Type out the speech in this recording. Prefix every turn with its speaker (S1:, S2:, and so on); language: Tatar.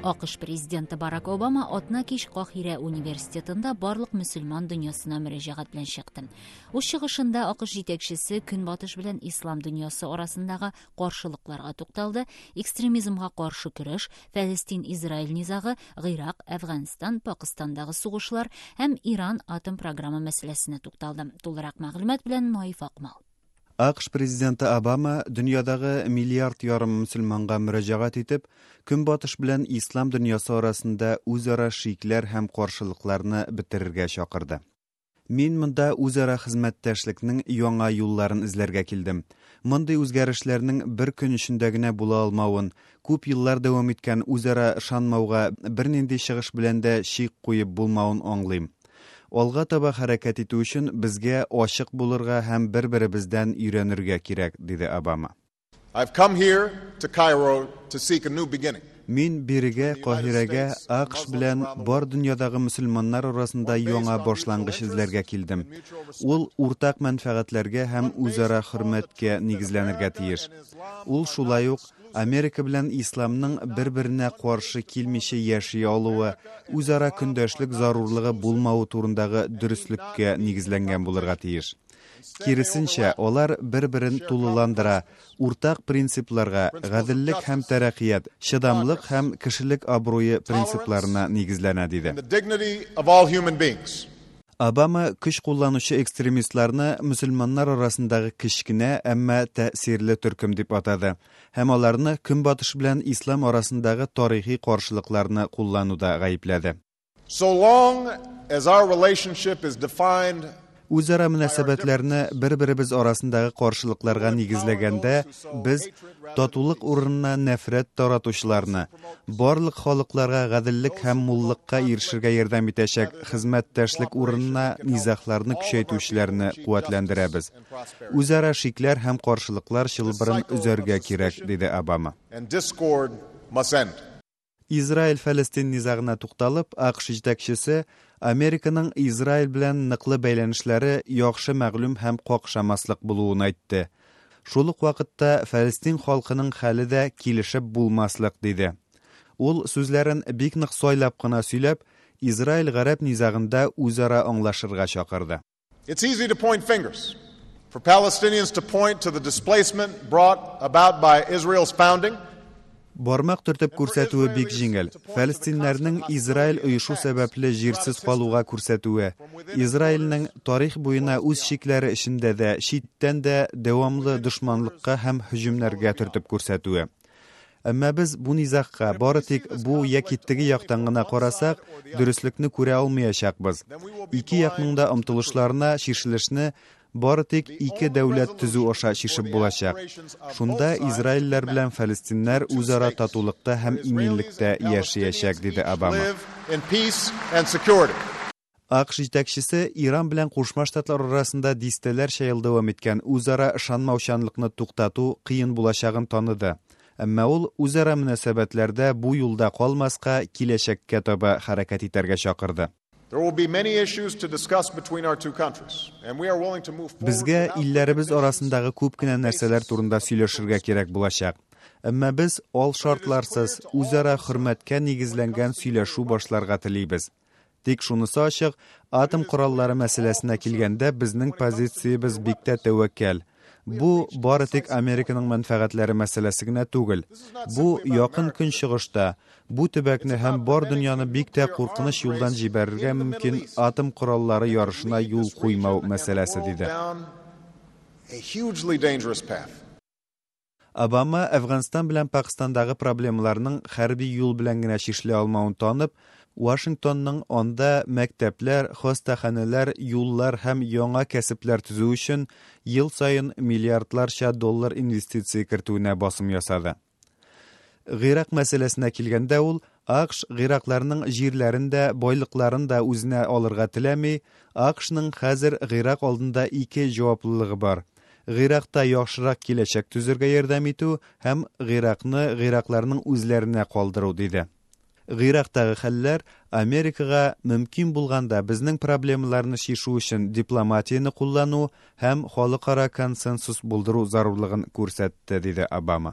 S1: АКШ президенты Барак Обама атна кич Каһирә университетында барлык мөселман дөньясына мөрәҗәгать белән чыкты. Үз чыгышында АКШ җитәкчесе Көнбатыш белән ислам дөньясы арасындагы каршылыкларга тукталды, экстремизмга каршы көрәш, Фәлестин-Израиль низагы, Гыйрак, Әфганстан, Пакыстандагы сугышлар һәм Иран атом програмы мәсьәләсенә тукталды. Тулырак мәгълүмат белән Наиф Акмал.
S2: АКШ президенты Обама дөньядагы миллиард ярым мөселманга мөрәҗәгать итеп, Көнбатыш белән ислам дөньясы арасында үзара шикләр һәм каршылыкларны бетерергә чакырды. Мин монда үзара хезмәттәшлекнең яңа юлларын эзләргә килдем. Мондый үзгәрешләрнең бер көн эчендә генә була алмавын, күп еллар дәвам иткән үзара ышанмауга бернинди чыгыш белән дә чик куеп булмавын аңлыйм. Алга таба хәрәкәт итү өчен безгә ачык булырга һәм бер-беребездән өйрәнергә кирәк, диде Обама.
S3: I've come here to Cairo to seek a new beginning.
S2: Мин бирегә, Каһирәгә, АКШ белән бар дөньядагы мөселманнар арасында яңа башлангыч эзләргә килдем. Ул уртак мәнфәгатьләргә һәм үзара хөрмәткә нигезләнергә тиеш. Ул шулай ук Америка белән исламның бер-беренә каршы килмичә яши алуы, үзара көндәшлек зарурлыгы булмавы турындагы дөреслеккә нигезләнгән булырга тиеш. Киресенчә, алар бер-берен тулыландыра, уртак принципларга, гаделлек һәм тәрәккыят, чыдамлык һәм кешелек абруе принципларына нигезләнә, диде. Обама көч кулланучы экстремистларны мөселманнар арасындагы кечкенә, әмма тәэсирле төркем дип атады һәм аларны Көнбатыш белән ислам арасындагы тарихи каршылыкларны куллануда гаепләде.
S3: So long as our relationship is defined
S2: Үзара мөнәсәбәтләрне бер-беребез арасындагы каршылыкларга нигезләгәндә, без татулык урынына нәфрәт таратучыларны, барлык халыкларга гаделлек һәм муллыкка ирешергә ярдәм итәчәк хезмәттәшлек урынына низагларны көчәйтүчеләрне куәтләндерәбез. Үзара шикләр һәм каршылыклар чылбырын өзәргә кирәк, диде Обама.
S3: And discord must end.
S2: Израиль-Фәлестин низагына тукталып, АКШ җитәкчесе Американың Израиль белән ныклы бәйләнешләре яхшы мәгълүм һәм какшамаслык булуын әйтте. Шул ук вакытта Фәлестин халкының хәле дә килешеп булмаслык, диде. Ул сүзләрен бик нык сайлап кына сөйләп, Израиль-гарәп низагында үзара аңлашырга чакырды.
S3: It's easy to point fingers. For Palestinians to point to the displacement brought about by Israel's founding,
S2: Бармак төртеп күрсәтүе бик җиңел. Фәлестиннәрнең Израиль оешу сәбәпле җирсез калуга күрсәтүе, Израильнең тарих буена үз чикләре эчендә дә, читтән дә дәвамлы дошманлыкка һәм һөҗүмнәргә төртеп күрсәтүе. Әмма без бу низагка бары тик бу яки теге яктан гына карасак, дөреслекне күрә алмаячакбыз. Ике якның да омтылышларына чишелешне бары тик ике дәүләт төзү аша чишеп булачак. Шунда израильләр белән фәлестиннәр үзара татулыкта һәм иминлектә яшәячәк, диде Обама.
S3: Live in peace and security.
S2: АКШ җитәкчесе Иран белән Кушма Штатлар арасында дистәләрчә ел дәвам иткән үзара ышанмаучанлыкны туктату кыен булачагын таныды. Әмма ул үзара мөнәсәбәтләрдә бу юлда калмаска, киләчәккә таба хәрәкәт итәргә чакырды.
S3: There will be many issues to discuss between our two countries, and we are willing to move forward
S2: Безгә
S3: without
S2: илләребез арасындагы күп кенә нәрсәләр турында сөйләшергә кирәк булачак. Әмма без ал шартларсыз үзара хөрмәткә нигезләнгән сөйләшү башларга телибез. Тик шунысы ачык, атом кораллары мәсьәләсенә килгәндә безнең позициябез бик тә тәвәккәл. Бу бары тик Американың мәнфәгатьләре мәсьәләсе генә түгел. Бу Якын Көнчыгышта бу төбәкне һәм бар дөньяны бик тә куркыныч юлдан җибәрергә мөмкин атом кораллары ярышына юл куймау мәсьәләсе, диде.
S3: Down a hugely dangerous path.
S2: Обама Әфганстан белән Пакыстандагы проблемаларның хәрби юл белән генә чишелә алмавын танып, Вашингтонның анда мәктәпләр, хастаханәләр, юллар һәм яңа кәсепләр төзү өчен ел саен миллиардларча доллар инвестиция кертүенә басым ясады. Гыйрак мәсьәләсенә килгәндә ул АКШ гыйракларның җирләрен дә, байлыкларын да үзенә алырга теләми, АКШның хәзер Гыйрак алдында ике җаваплылыгы бар. Гыйракта яхшырак киләчәк төзергә ярдәм итү һәм Гыйракны гыйракларның үзләренә калдыру, диде. Гыйрактагы хәлләр Америкага мөмкин булганда безнең проблемаларны чишү өчен дипломатияне куллану һәм халыкара консенсус булдыру зарурлыгын күрсәтте, диде Обама.